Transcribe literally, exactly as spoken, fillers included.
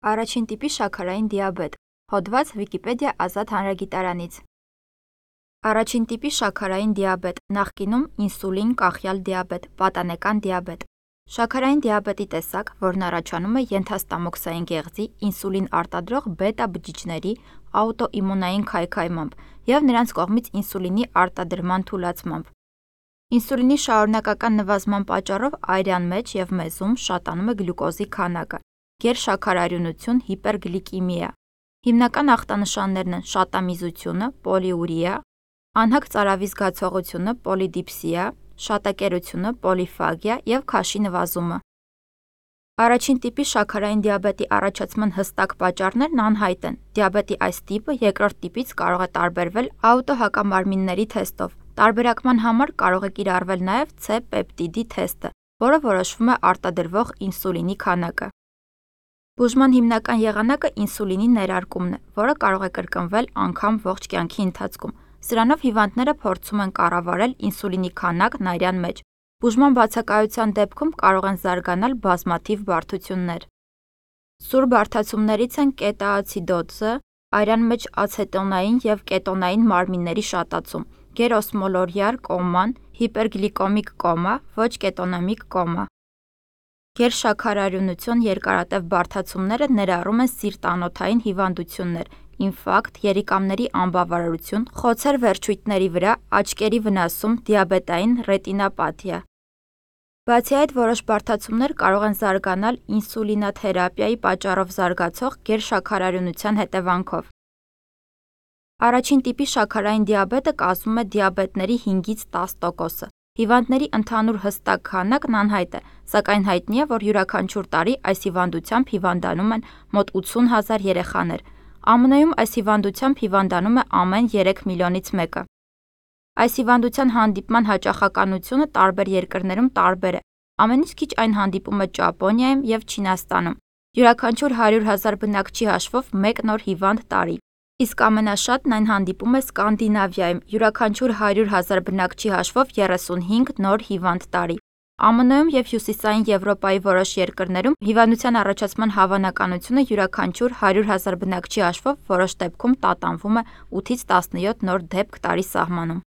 Առաջին տիպի շաքարային դիաբետ։ Հոդված Վիկիպեդիա ազատ հանրագիտարանից։ Առաջին տիպի շաքարային դիաբետ, նախկինում ինսուլին կախյալ դիաբետ, պատանեկան դիաբետ։ Շաքարային դիաբետի տեսակ, որն առաջանում է ենթաստամոքսային գեղձի ինսուլին արտադրող բետա բջիջների աուտոիմունային քայքայմամբ և նրանց կողմից ինսուլինի արտադրման թուլացմամբ։ Ինսուլինի շարունակական նվազման պատճառով այրյան մեջ և մեզում շատանում է գլյուկոզի քանակը, գերշաքարարյունություն, հիպերգլիկեմիա։ Հիմնական ախտանշաններն են շատամիզությունը, պոլիուրիա, անհագ ծարավի զգացողությունը, պոլիդիպսիա, շատակերությունը, պոլիֆագիա և քաշի նվազումը։ Առաջին տիպի շաքարային դիաբետի առաջացման հստակ պատճառներն անհայտ են։ Դիաբետի այս տիպը երկրորդ տիպից կարող է տարբերվել աուտոհակամարմինների թեստով։ Տարբերակման համար կարող է կիրառվել նաև C պեպտիդի թեստը, որը որոշվում է արտադրվող ինսուլինի քանակը։ Բուժման հիմնական եղանակը ինսուլինի ներարկումն է, որը կարող է կրկնվել անգամ ողջ կյանքի ընթացքում։ Սրանով հիվանդները փորձում են կառավարել ինսուլինի քանակն այրյան մեջ։ Բուժման բացակայության դեպքում կարող են զարգանալ բազմաթիվ բարդություններ։ Սուր բարդացումներից են կետոացիդոզը, այրյան մեջ ացետոնային և կետոնային մարմինների շատացում, գերօսմոլորիար կոման, հիպերգլիկեմիկ կոմա, ոչ կետոնեմիկ կոմա։ Գերշաքարարյունություն երկարատև բարդացումները ներառում են սիրտ-անոթային հիվանդություններ, ինֆարկտ, երիկամների անբավարարություն, խոցեր վերջույթների վրա, աչքերի վնասում, դիաբետային ռետինոպաթիա։ Բացի այդ, որոշ բարդացումներ կարող են զարգանալ ինսուլինոթերապիայի պատճառով զարգացող գերշաքարարյունության հետևանքով։ Առաջին տիպի շաքարային դիաբետը կազմում է դիաբետների հինգից տաս տոկոսը։ Հիվանդների ընդհանուր հստակ քանակն անհայտ է, սակայն հայտնի է, որ յուրաքանչյուր տարի այս հիվանդությամբ հիվանդանում են մոտ ութսուն հազար երեխաներ։ ԱՄՆ-ում այս հիվանդությամբ հիվանդանում է ամեն երեք միլիոնից մեկը։ Այս հիվանդության հանդիպման հաճախականությունը տարբեր երկրներում տարբեր է։ Ամենից քիչ այն հանդիպում է Ճապոնիայում և Չինաստանում։ Յուրաքանչյուր հարյուր հազար բնակչի հաշվով մեկ նոր հիվանդ տարի։ Իսկ ամենաշատն այն հանդիպում է Սկանդինավիայում, յուրաքանչյուր հարյուր հազար բնակչի հաշվով երեսունհինգ նոր հիվանդ տարի։ ԱՄՆ-ում և Հյուսիսային Եվրոպայի որոշ երկրներում հիվանդության առաջացման հավանականությունը յուրաքանչյուր հարյուր հազար բնակչի հաշվով որոշ դեպքում տատանվում է ութից տասնյոթ նոր դեպք տարի սահմանում։